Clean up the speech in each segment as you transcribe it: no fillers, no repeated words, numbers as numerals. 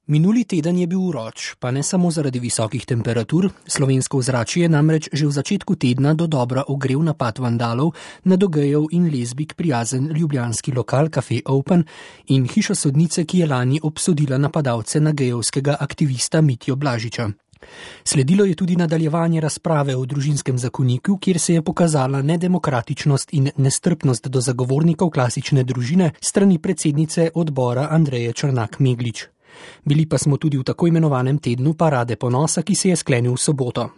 Minuli teden je bil vroč, pa ne samo zaradi visokih temperatur, slovensko ozračje je namreč že v začetku tedna dodobra ogrel napad vandalov na do gejev in lezbik prijazen ljubljanski lokal Café Open in hišo sodnice, ki je lani obsodila napadalce na gejevskega aktivista Mitjo Blažiča. Sledilo je tudi nadaljevanje razprave o družinskem zakoniku, kjer se je pokazala nedemokratičnost in nestrpnost do zagovornikov klasične družine strani predsednice odbora Andreje Črnak Meglič. Bili pa smo tudi v tako imenovanem tednu parade ponosa, ki se je sklenil v soboto.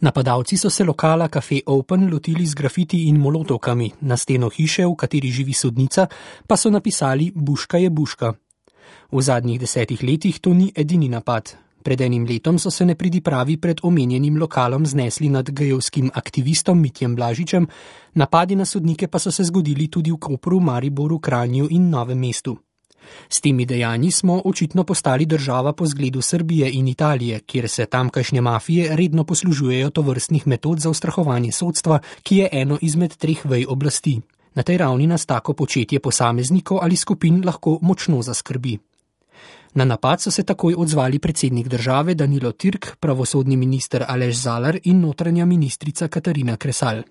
Napadalci so se lokala Café Open lotili z grafiti in molotovkami, na steno hiše, v kateri živi sodnica, pa so napisali Buška je Buška. V zadnjih 10 letih to ni edini napad. Pred enim letom so se nepridipravi pred omenjenim lokalom znesli nad gejevskim aktivistom Mitjem Blažičem, napadi na sodnike pa so se zgodili tudi v Kopru, Mariboru, Kranju in Novem mestu. S temi dejanji smo očitno postali država po zgledu Srbije in Italije, kjer se tamkajšnje mafije redno poslužujejo tovrstnih metod za ustrahovanje sodstva, ki je eno izmed 3 vej oblasti. Na tej ravni nas tako početje posameznikov ali skupin lahko močno zaskrbi. Na napad so se takoj odzvali predsednik države Danilo Türk, pravosodni minister Aleš Zalar in notranja ministrica Katarina Kresal.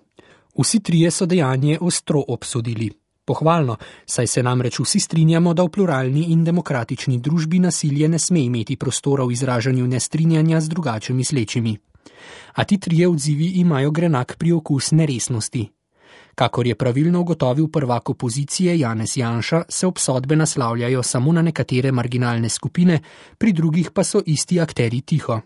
Vsi trije so dejanje ostro obsodili. Pohvalno, saj se namreč vsi strinjamo, da v pluralni in demokratični družbi nasilje ne sme imeti prostora v izražanju nestrinjanja z drugače mislečimi. A ti trije odzivi imajo grenak priokus neresnosti. Kakor je pravilno ugotovil prvak opozicije Janez Janša, se obsodbe naslavljajo samo na nekatere marginalne skupine, pri drugih pa so isti akteri tiho.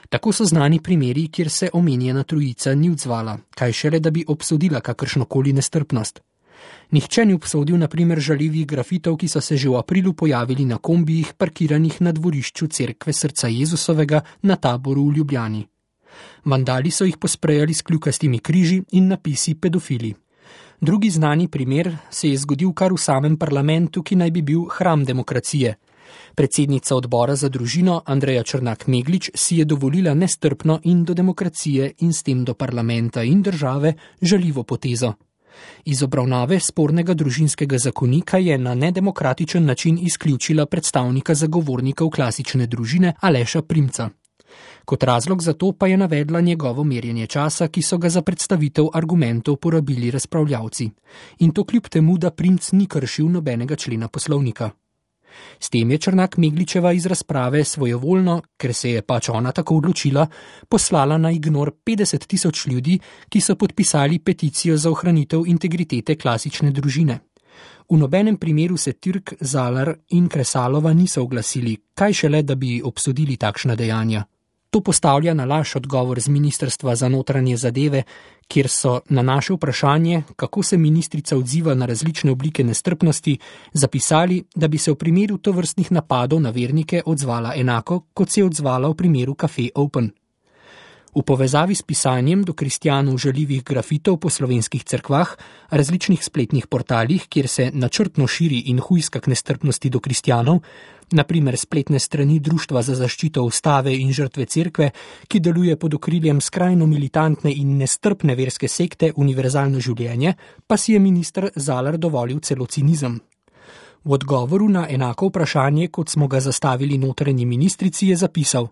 Tako so znani primeri, kjer se omenjena trojica ni odzvala, kaj šele, da bi obsodila kakršnokoli nestrpnost. Nihče ni obsodil na primer žaljivih grafitov, ki so se že v aprilu pojavili na kombijih, parkiranih na dvorišču cerkve Srca Jezusovega na Taboru v Ljubljani. Vandali so jih posprejali s kljukastimi križi in napisi pedofili. Drugi znani primer se je zgodil kar v samem parlamentu, ki naj bi bil hram demokracije. Predsednica odbora za družino Andreja Črnak Meglič si je dovolila nestrpno in do demokracije in s tem do parlamenta in države žaljivo potezo. Iz obravnave spornega družinskega zakonika je na nedemokratičen način izključila predstavnika zagovornikov klasične družine Aleša Primca. Kot razlog za to pa je navedla njegovo merjenje časa, ki so ga za predstavitev argumentov porabili razpravljavci. In to kljub temu, da Primc ni kršil nobenega člena poslovnika. S tem je Črnak Megličeva iz razprave svojevoljno, ker se je pač ona tako odločila, poslala na ignor 50 000 ljudi, ki so podpisali peticijo za ohranitev integritete klasične družine. V nobenem primeru se Türk, Zalar in Kresalova niso oglasili, kaj šele, da bi obsodili takšna dejanja. To postavlja na laž odgovor z Ministrstva za notranje zadeve, kjer so na naše vprašanje, kako se ministrica odziva na različne oblike nestrpnosti, zapisali, da bi se v primeru tovrstnih napadov na vernike odzvala enako, kot se je odzvala v primeru Café Open. V povezavi s pisanjem do kristjanov žaljivih grafitov po slovenskih cerkvah, različnih spletnih portalih, kjer se načrtno širi in hujska k nestrpnosti do kristjanov, na primer spletne strani Društva za zaščito ustave in žrtve cerkve, ki deluje pod okriljem skrajno militantne in nestrpne verske sekte Univerzalno življenje, pa si je minister Zalar dovolil celo cinizem. V odgovoru na enako vprašanje, kot smo ga zastavili notranji ministrici, je zapisal: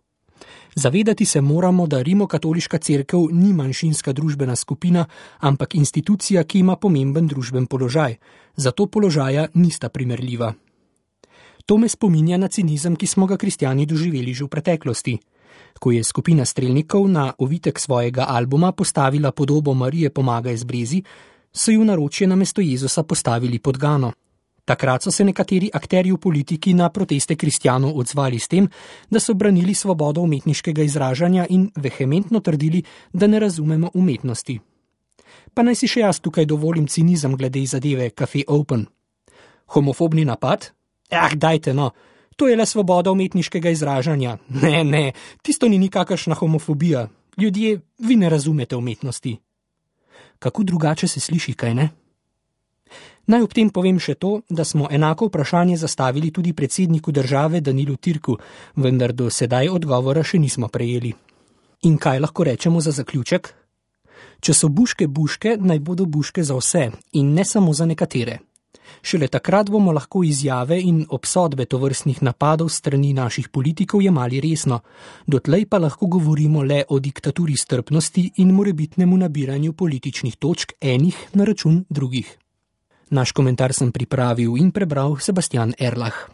Zavedati se moramo, da rimokatoliška cerkev ni manjšinska družbena skupina, ampak institucija, ki ima pomemben družben položaj. Zato položaja nista primerljiva. To me spominja na cinizem, ki smo ga kristjani doživeli že v preteklosti. Ko je skupina strelnikov na ovitek svojega albuma postavila podobo Marije Pomagaj z brezi, so ju naročje namesto Jezusa postavili podgano. Takrat so se nekateri akterji v politiki na proteste kristjanov odzvali s tem, da so branili svobodo umetniškega izražanja in vehementno trdili, da ne razumemo umetnosti. Pa naj si še jaz tukaj dovolim cinizem glede zadeve Café Open. Homofobni napad? Dajte no, to je le svoboda umetniškega izražanja. Ne, tisto ni nikakršna homofobija. Ljudje, vi ne razumete umetnosti. Kako drugače se sliši, kaj ne? Naj ob tem povem še to, da smo enako vprašanje zastavili tudi predsedniku države Danilu Türku, vendar do sedaj odgovora še nismo prejeli. In kaj lahko rečemo za zaključek? Če so buške buške, naj bodo buške za vse in ne samo za nekatere. Šele takrat bomo lahko izjave in obsodbe tovrstnih napadov strani naših politikov jemali resno. Dotlej pa lahko govorimo le o diktaturi strpnosti in morebitnemu nabiranju političnih točk enih na račun drugih. Naš komentar sem pripravil in prebral Sebastian Erlach.